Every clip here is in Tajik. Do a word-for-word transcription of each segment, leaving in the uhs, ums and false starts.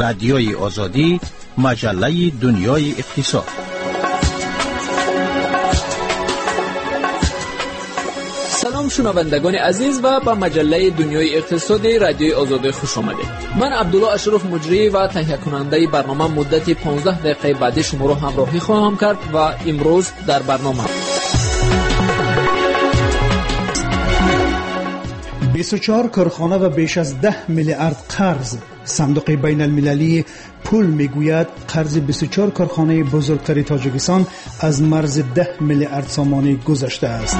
Радиои Озодӣ, маҷаллаи дунёи иқтисод. Салом шунавандагони азиз ва ба маҷаллаи дунёи иқтисоди Радиои Озодӣ хуш омадед. Ман Абдулло Ашраф, муҷрӣ ва таҳиякунандаи барнома, муддати понздаҳ дақиқаи баъдӣ шуморо ҳамроҳӣ хоҳам кард ва имрӯз дар барнома бисту чор корхона ва беш аз даҳ миллиард қарз. Сандуқи байналмилалии пул мегӯяд қарзи бисту чор корхонаи бузургтари Тоҷикистон аз марзи даҳ миллиард сомонӣ гузаштааст.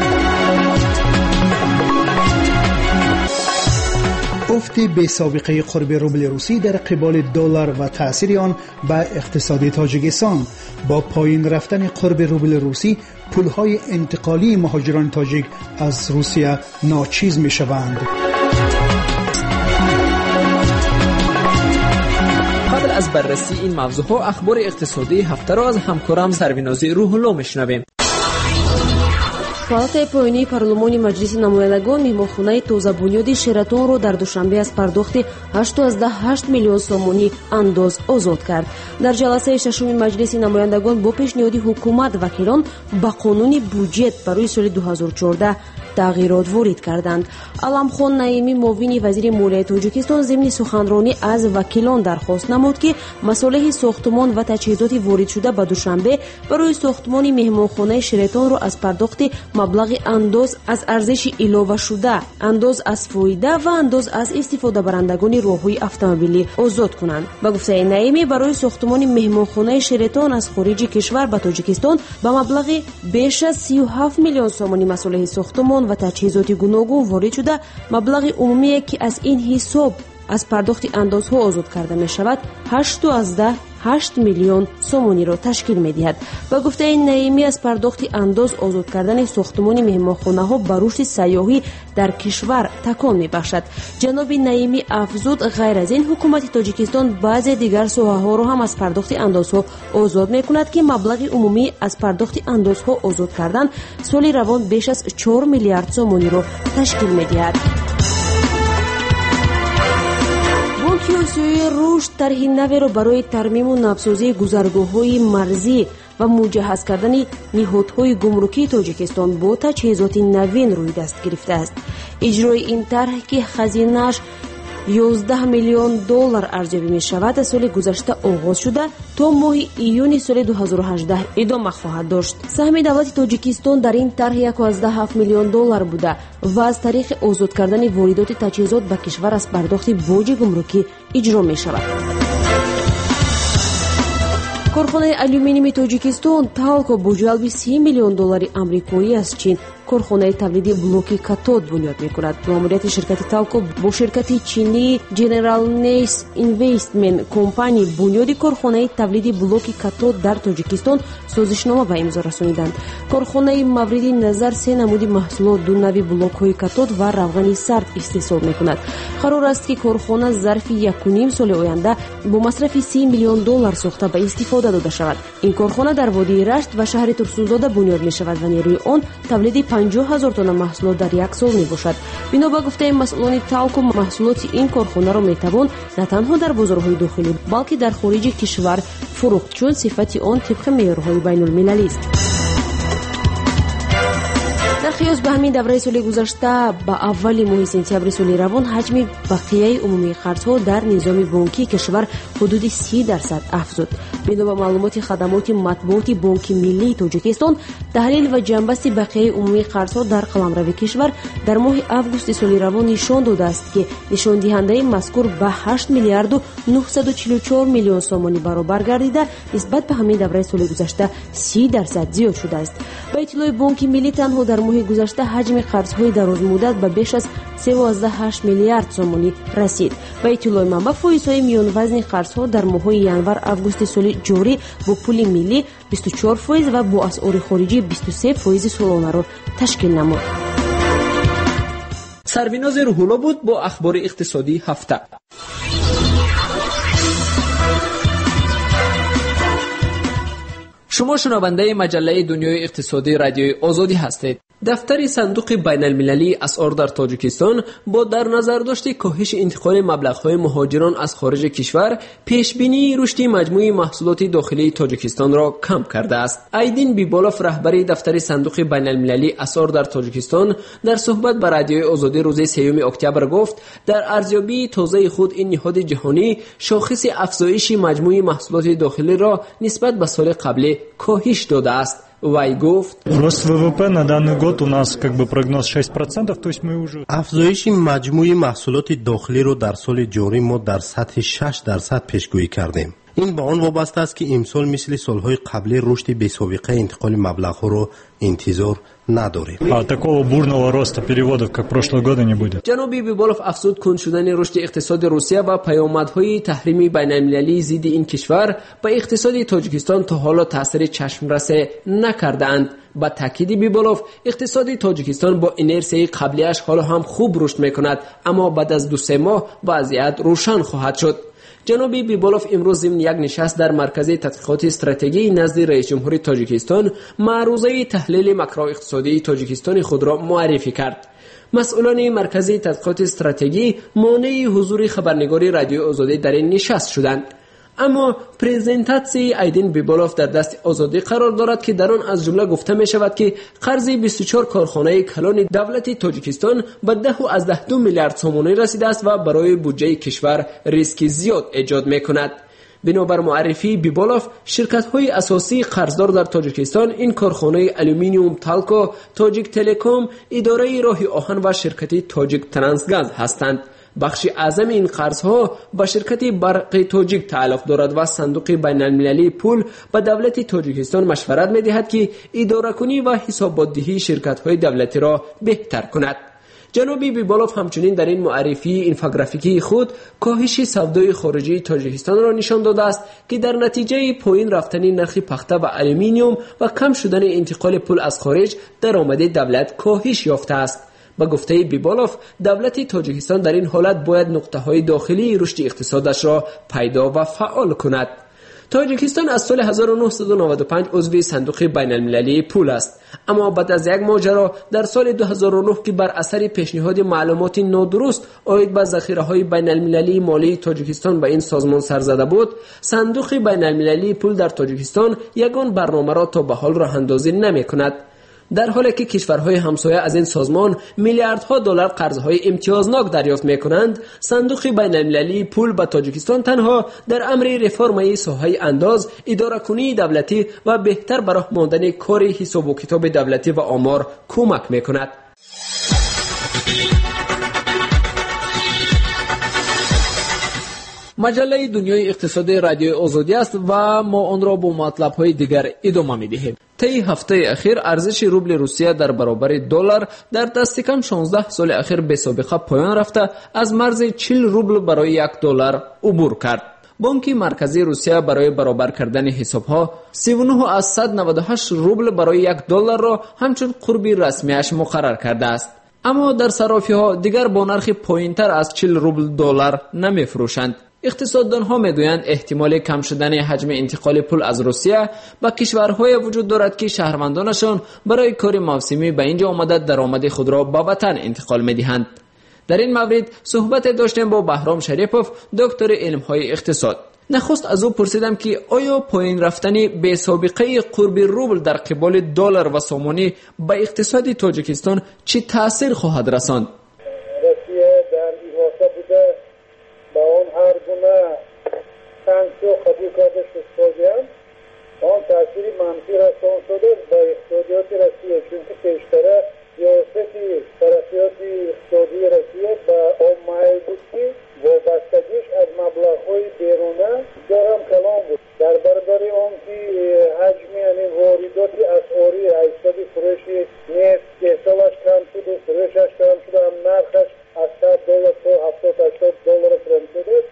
Уфти бесобиқаи қурби рубли русӣ дар қиболи доллар ва таъсири он ба иқтисоди Тоҷикистон. Бо поин рафтани қурби рубли русӣ пулҳои интиқолии муҳоҷирони тоҷик аз Русия ночиз мешаванд. Қабл аз баррасии ин мавзӯъҳо ахбори иқтисодии ҳафтаро аз ҳамкорам Сарвинози Рӯҳулло мешунавем. Палатаи поёнии парлумони Маҷлиси намояндагон меҳмонхонаи тозабунёди Шератонро дар Душанбе аз пардохти ҳашту ҳашт миллион сомонӣ андоз озод кард. Дар ҷаласаи шашуми Маҷлиси намояндагон бо пешниҳоди ҳукумат вакилон ба қонуни буҷет барои соли ду ҳазору чордаҳ тағйирот ворид карданд. Аламхон Наимӣ, муовини вазири молияи Тоҷикистон, зимни суханронӣ аз вакилон дархост намуд, ки масолеҳи сохтмон ва таҷҳизоти воридшуда ба Душанбе барои сохтмони меҳмонхонаи Шератонро аз пардохти маблағи андоз аз арзиши иловашуда, андоз аз фоида ва андоз аз истифодабарандагони роҳҳои автомобилӣ озод кунанд. Ба гуфтаи Наимӣ, барои сохтмони меҳмонхонаи Шератон аз хориҷи кишвар ба Тоҷикистон ба маблағи беш аз сию ҳафт миллион сомонӣ масолеҳи сохтмон ва таҷҳизоти гуногун ворид шуда, маблағи умумие, ки аз ин ҳисоб аз пардохти андозҳо озод карда мешавад, ҳашту ҳашт миллион сомониро ташкил медиҳад. Ба гуфтаи Наимӣ, аз пардохти андоз озод кардани сохтмони меҳмонхонаҳо ба рушди сайёҳӣ дар кишвар такон мебахшад. Ҷаноби Наимӣ афзуд, ғайр аз ин ҳукумати Тоҷикистон баъзе дигар соҳаҳоро ҳам аз пардохти андозҳо озод мекунад, ки маблағи умумӣ аз пардохти андозҳо озод кардан соли равон беш аз чор миллиард сомониро ташкил медиҳад. Бонки Осиёии рушд тарҳи наверо барои тармиму навсозии гузаргоҳҳои марзӣ ва муҷаҳҳаз кардани ниҳодҳои гумрукии Тоҷикистон бо таҷҳизоти навин рӯй даст гирифтааст. Иҷрои ин тарҳ, ки хазинааш ёздаҳ миллион доллар арзёбӣ мешавад, аз соли гузашта оғоз шуда то моҳи июни соли ду ҳазору ҳаждаҳ идома хоҳад дошт. Саҳми давлати Тоҷикистон дар ин тарҳ яку ҳафт миллион доллар буда ва аз тариқи озод кардани воридоти таҷҳизот ба кишвар аз пардохти боҷи гумрукӣ иҷро мешавад. Корхонаи алюминийи Тоҷикистон Талко бо ҷалби си миллион доллари амрикоӣ аз Чин корхонаи тавлиди блоки катод бунёд мекунад. Маъмурияти ширкати Талко бо ширкати чинии General Nace Investment Company бунёди корхонаи тавлиди блоки катод дар Тоҷикистон созишнома ба имзо расониданд. Корхонаи мавриди назар се намуди маҳсулот, ду нави блокҳои катод ва равғани сард истеҳсол мекунад. Қарор аст, ки корхона зарфи якуним соли оянда бо масрафи си миллион доллар сохта ба истифода дода шавад. Ин корхона дар водии Рашт ва шаҳри Турсунзода бунёд мешавад ва нерӯи он тавлиди панҷоҳ ҳазор тонна маҳсулот дар як сол мебошад. Бино ба гуфтаи масъулони Талко, маҳсулоти ин корхонаро метавон на танҳо дар бозорҳои дохилӣ, балки дар хориҷи кишвар фурӯхт, чун сифати он тибқи меъёрҳои байнулмилалист. Дар қиёс ба ҳамин давраи соли гузашта, ба аввали моҳи сентябри соли равон ҳаҷми бақияи умумии қарзҳо дар низоми бонкии кишвар ҳудуди си дарсад афзуд. Бино ба маълумоти хадамоти матбуоти Бонки Миллии Тоҷикистон, таҳлил ва ҷамъбасти бақияи умумии қарзҳо дар қаламрави кишвар дар моҳи августи соли равон нишон додааст, ки нишондиҳандаи мазкур ба ҳашт миллиарду нуҳсаду чилу чор миллион сомонӣ баробар гардида, нисбат ба ҳамин давраи соли гузашта си дарсад зиёд шудааст. Ба иттилои Бонки Миллӣ, танҳо дар моҳи гузашта ҳаҷми қарзҳои дарозмуддат ба беш аз севу ҳашт миллиард сомонӣ расид. Ба иттилои манбаъ, фоизҳои миёнвазни қарзҳо дар моҳҳои январ-августи соли ҷорӣ бо пули миллӣ бисту чор фоиз ва бо асъори хориҷӣ бисту се фоизи солонаро ташкил намуд. Сарвинози Рӯҳулло буд бо ахбори иқтисодии ҳафта. Шумо шунавандаи маҷаллаи дунёи иқтисодии Радиои Озодӣ ҳастед. Дафтари сандуқи байналмилалии асъор дар Тоҷикистон бо дар назардошти коҳиши интиқоли маблағҳои муҳоҷирон аз хориҷи кишвар пешбинии рушди маҷмӯи маҳсулоти дохилии Тоҷикистонро кам кардааст. Айдин Биболов, раҳбари дафтари сандуқи байналмилалии асъор дар Тоҷикистон, дар суҳбат ба Радиои Озодӣ рӯзи сеюми октябр гуфт, дар арзёбии тозаи худ ин ниҳоди ҷаҳонӣ шохиси афзоиши маҷмӯи маҳсулоти дохилиро нисбат ба соли қаблӣ коҳиш додааст. Вай гуфт: Рост ВВП на данный год у нас как бы прогноз шесть процентов, то есть мы уже... Афзоиши маҷмӯи маҳсулоти дохилиро дар соли ҷорӣ мо дар сатҳи шаш дарсад пешгӯӣ кардем. Ин ба он вобаста аст, ки имсол мисли солҳои қаблӣ рушди бесобиқаи интиқоли маблағҳоро интизор надорем. А такого бурного роста переводов, как прошлые годы, не будет. Ҷаноби Биболов афзуд, кунд шудани рушди иқтисоди Русия ва паёмадҳои таҳрими байналмилалии зидди ин кишвар ба иқтисоди Тоҷикистон то ҳоло таъсири чашмрасе накардаанд. Ба таъкиди Биболов, иқтисоди Тоҷикистон бо инерсияи қаблиаш ҳоло ҳам хуб рушд мекунад, аммо баъд аз ду-се моҳ вазъият рӯшан хоҳад шуд. Ҷаноби Биболов имрӯз зимни як нишаст дар маркази тадқиқоти стратегии назди раисҷумҳури Тоҷикистон маърузаи таҳлили макроиқтисодии Тоҷикистони худро муаррифӣ кард. Масъулони маркази тадқиқоти стратегӣ монеи ҳузури хабарнигори Радиои Озодӣ дар ин нишаст шуданд. Аммо презентатсияи Айдин Биболов дар дасти Озодӣ қарор дорад, ки дар он аз ҷумла гуфта мешавад, ки қарзи бисту чор корхонаи калони давлати Тоҷикистон ба даҳу аз даҳ ду миллиард сомонӣ расидааст ва барои буҷаи кишвар риски зиёд эҷод мекунад. Бинобар муаррифии Биболов, ширкатҳои асосии қарздор дар Тоҷикистон ин корхонаи алюминиум Талко, Тоҷик Телеком, идораи роҳи оҳан ва ширкати Тоҷик Трансгаз ҳастанд. Бахши аъзами ин қарзҳо ба ширкати Барқи Тоҷик тааллуқ дорад ва сандуқи байналмилалии пул ба давлати Тоҷикистон машварат медиҳад, ки идоракунӣ ва ҳисоботдиҳии ширкатҳои давлатиро беҳтар кунад. Ҷаноби Биболов ҳамчунин дар ин муаррифии инфографикии худ коҳиши савдои хориҷии Тоҷикистонро нишон додааст, ки дар натиҷаи поин рафтани нархи пахта ва алюминиум ва кам шудани интиқоли пул аз хориҷ даромади давлат коҳиш ёфтааст. Ба гуфтаи Биболов, давлати Тоҷикистон дар ин ҳолат бояд нуқтаҳои дохилии рушди иқтисодашро пайдо ва фаъол кунад. Тоҷикистон аз соли ҳазору нӯҳсаду наваду панҷ узви сандуқи байналмилалии пул аст, аммо баъд аз як моҷаро дар соли ду ҳазору нӯҳ, ки бар асари пешниҳоди маълумоти нодуруст оид ба захираҳои байналмилалии молии Тоҷикистон ба ин созмон сарзада буд, сандуқи байналмилалии пул дар Тоҷикистон ягон барномаро то ба ҳол роҳандозӣ намекунад. Дар ҳоле ки кишварҳои ҳамсоя аз ин созмон миллиардҳо доллар қарзҳои имтиёзнок дарёфт мекунанд, сандуқи байналмилалии пул ба Тоҷикистон танҳо дар амри реформаи соҳаи андоз, идоракунии давлатӣ ва беҳтар ба роҳ мондани кори ҳисобу китоби давлатӣ ва омор кӯмак мекунад. Маҷаллаи дунёи иқтисоди Радиои Озодӣ аст ва мо онро бо матлабҳои дигар идома медиҳем. Таи ҳафтаи ахир арзиши рубли Русия дар баробари доллар дар дасти кам шонздаҳ соли ахир бесобиқа поён рафта, аз марзи чил рубл барои як доллар убур кард. Бонки марказии Русия барои баробар кардани ҳисобҳо сиву нӯҳ аз сад наваду ҳашт рубл барои як долларро ҳамчун қурби расмиаш муқаррар кардааст. Аммо дар саррофиҳо дигар бо нархи поинтар аз чил рубл доллар намефурӯшанд. Иқтисоддонҳо мегӯянд, эҳтимоли кам шудани ҳаҷми интиқоли пул аз Русия ба кишварҳое вуҷуд дорад, ки шаҳрвандонашон барои кори мавсимӣ ба инҷо омада даромади худро ба ватан интиқол медиҳанд. Дар ин маврид суҳбате доштем бо Баҳром Шарипов, доктори илмҳои иқтисод. Нахуст аз ӯ пурсидам, ки оё поин рафтани бесобиқаи қурби рубл дар қиболи доллар ва сомонӣ ба иқтисоди Тоҷикистон чӣ таъсир хоҳад расонд? Россия дар иҳота буда ба он ҳар гуна санксия қабул карда шуд, он таъсири манфӣ расон шудааст ба иқтисодиёти Россия, чунки пештара сиёсати тараққиёти иқтисодии Россия ба он майл буд, ки вобастагиш аз маблағҳои беруна бисёр ҳам калон буд. Дар баробари он ки ҳаҷми ҳамин воридоти асъорӣ аз ҳисоби фурӯши нефт истеҳсолаш кам шуду фурӯшаш кам шуду ҳам нархаш аз сад доллар то ҳафтод ҳаштод доллар фурӯм шудааст.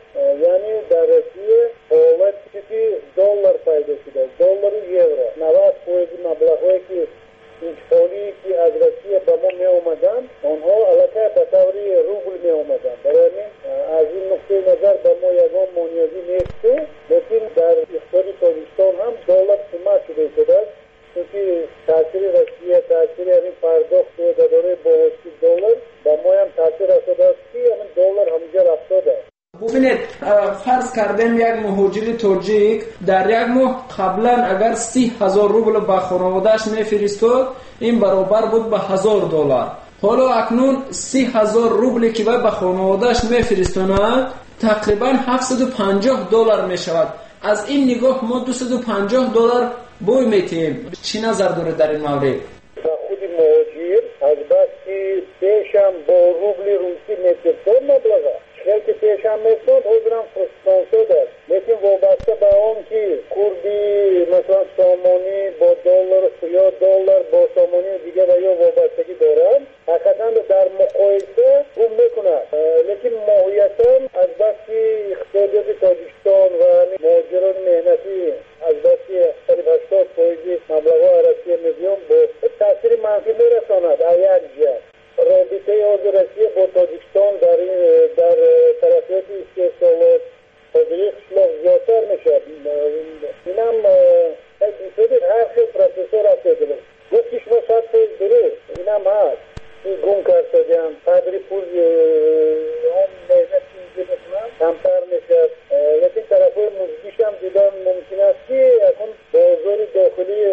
Яъне дар Россия ҳолати ки доллар пайдо шудааст, доллару евро. Навад фоизи маблағҳое ки интиқолие ки аз Россия ба мо меомаданд, онҳо аллакай ба таври рубл меомаданд. Барои ҳамин аз ин нуқтаи назар ба мо ягон монеагӣ нест, лекин дар иқтисоди Тоҷикистон ҳам доллар қимат шуда истодааст, чунки таъсири Россия, таъсири ҳамин пардохт Бубинед, фарз кардем як муҳоҷири тоҷик дар як моҳ қаблан агар си ҳазор рубл ба хонаводааш мефиристод, ин баробар буд ба ҳазор доллар. Ҳоло акнун си ҳазор рубле ки вай ба хонаводааш мефиристонад тақрибан ҳафтсаду панҷоҳ доллар мешавад. Аз ин нигоҳ мо дусаду панҷоҳ доллар бой метиҳем. Чӣ назар доред дар ин маврид? Ба худи муҳоҷир аз бас ки пешам бо рубли русӣ мефиристод маблаға, хел ки пешам мефиристод, ҳозирам фиристонсод аст. Лекин вобаста ба он ки курби масалан сомонӣ бо доллар ё доллар бо сомонӣ дигар ва ё вобастагӣ дорад, ҳақиқатан дар муқоиса гум мекунад. Лекин моҳиятан аз бас ки иқтисодиёти Тоҷикистон ва муҳоҷирони меҳнатӣ аз бас ки қариб ҳаштод фоизи маблағҳо аз Россия мебиёнд, бо таъсири манфӣ мерасонад аз як ҷиҳат. Робитаи ҳозир Россия бо Тоҷикистон дар дар тараққиёти истеҳсолот ҳозири қишлоқ зиёдтар мешавад. Инам ҳар хел процессҳо рафта истодааст. Гуфти шумо сад фоиз дуруст, инам ҳаст. Гум кардагиам, қадри пул он меҳнат ки инҷо мекунанд камтар мешавад. Лекин тарафҳои мусбишам дидан мумкин аст ки акнун бозори дохилии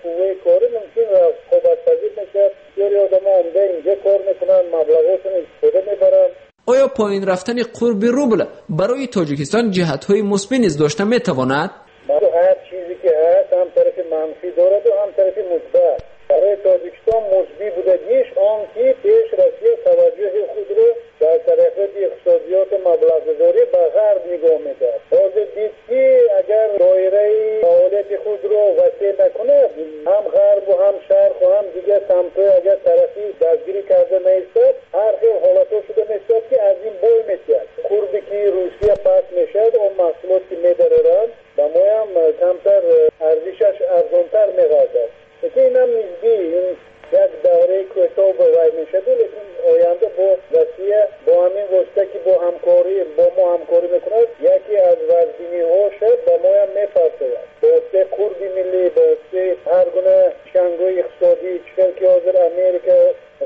қувваи корӣ мумкин рақобатпазир мешавад. Бисёри одамо омда инҷо кор мекунанд, маблағҳошон истифода мебаранд. Оё поин рафтани қурби рубл барои Тоҷикистон ҷиҳатҳои мусбӣ низ дошта метавонад? Ҳар чизе ки ҳаст ҳам тарафи манфӣ дораду ҳам тарафи мусбат. Барои Тоҷикистон мусбӣ будагиш он ки пеш Россия таваҷҷӯҳи худро дар тараққиёти иқтисодиёту маблағгузорӣ ба ғарб нигоҳ медорад. Ҳозир дид ки агар доираи фаъолияти худро васеъ накунад, ҳам ғарбу ҳам шарқу ҳам дигар самтҳои агар тарафӣ дастгирӣ карда наистад, ҳар хел ҳолатҳо шуда мешавад ки аз ин бой метиҳад. Қурби ки Русия паст мешавад, он маҳсулот ки медароранд ба моям камтар арзишаш арзонтар мегардад. Лекин инам нисбӣ, ин як давраи кӯтоҳ ба вай мешавад, лекин оянда бо Россия бо ҳамин восита ки бо ҳамкорӣ бо мо ҳамкорӣ мекунад, яке аз вазбиниҳоша ба моям мепартояд. Ба воситаи қурби миллӣ, ба воситаи ҳар гуна чангои иқтисодӣ, чӣ хел ки ҳозир Америка,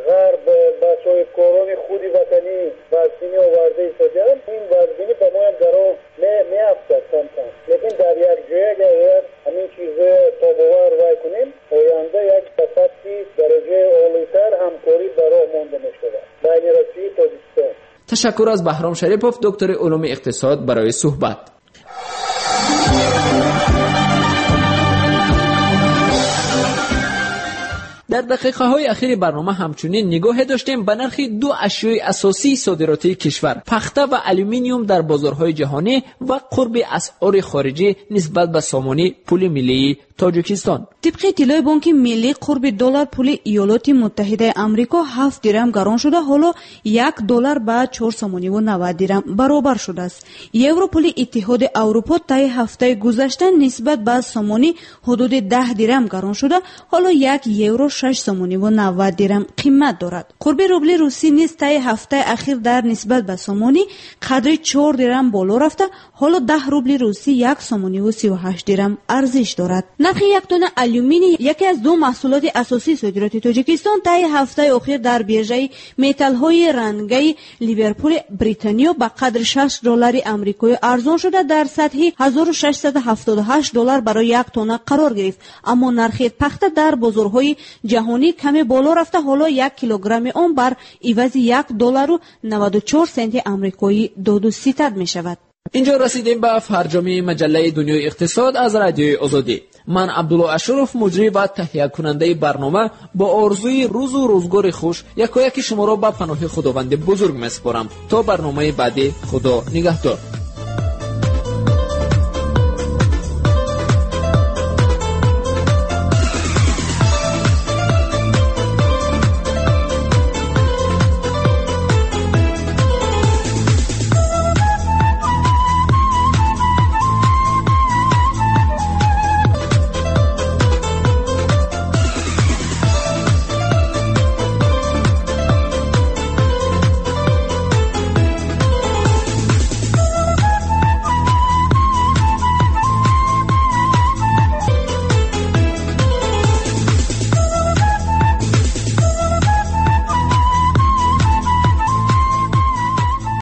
ғарб ба соҳибкорони худи ватанӣ вазбинӣ оварда истодаанд, ин вазбинӣ ба моям гарон меафтад камкам. Лекин дар як ҷоя агар ҳамин чизҳоя тобовар вай кунем, оянда як ба сатҳи дараҷаи олитар ҳамкорӣ ба роҳ монда мешавад байни Россияи Тоҷикистон. Ташаккур аз Баҳром Шарипов, доктори улуми иқтисод, барои суҳбат. Дар дақиқаҳои ахири барнома ҳамчунин нигоҳе доштем ба нархи ду ашёи асосии содиротии кишвар – пахта ва алюминиум дар бозорҳои ҷаҳонӣ ва қурби асъори хориҷӣ нисбат ба сомонӣ пули миллии Тоҷикистон. Тибқи иттилои Бонки Миллӣ, қурби доллар пули Иёлоти Муттаҳидаи Амрико ҳафт дирам гарон шуда, ҳоло як доллар ба чор сомониву навад дирам баробар шудааст. Евро пули Иттиҳоди Аврупо таи ҳафтаи гузашта нисбат ба сомонӣ ҳудуди даҳ дирам гарон шуда, ҳоло як евро шаш сомониву навад дирам қимат дорад. Қурби рубли русӣ низ таи ҳафтаи ахир дар нисбат ба сомонӣ қадри чор дирам боло рафта, ҳоло даҳ рубли русӣ як сомониву сию ҳашт дирам арзиш дорад. Нархи як тонна алюминий, яке аз ду маҳсулоти асосии содироти Тоҷикистон, таи ҳафтаи охир дар биржаи металлҳои рангаи Ливерпули Британиё ба қадри шаш доллари амрикоӣ арзон шуда, дар сатҳи ҳазору шашсаду ҳафтоду ҳашт доллар барои як тонна қарор гирифт. Аммо нархи пахта дар бозорҳои ҷаҳонӣ каме боло рафта, ҳоло як килограмми он бар ивази як доллару наваду чор сенти амрикоӣ доду ситад мешавад. Инҷо расидем ба фарҷоми маҷаллаи Дунёи иқтисод аз Радиои Озодӣ. Ман Абдулло Ашуров, муҷрӣ ва таҳиякунандаи барнома, бо орзуи рӯзу рӯзгори хуш якояки шуморо ба паноҳи Худованди бузург месупорам. То барномаи баъдӣ, Худо нигаҳдор.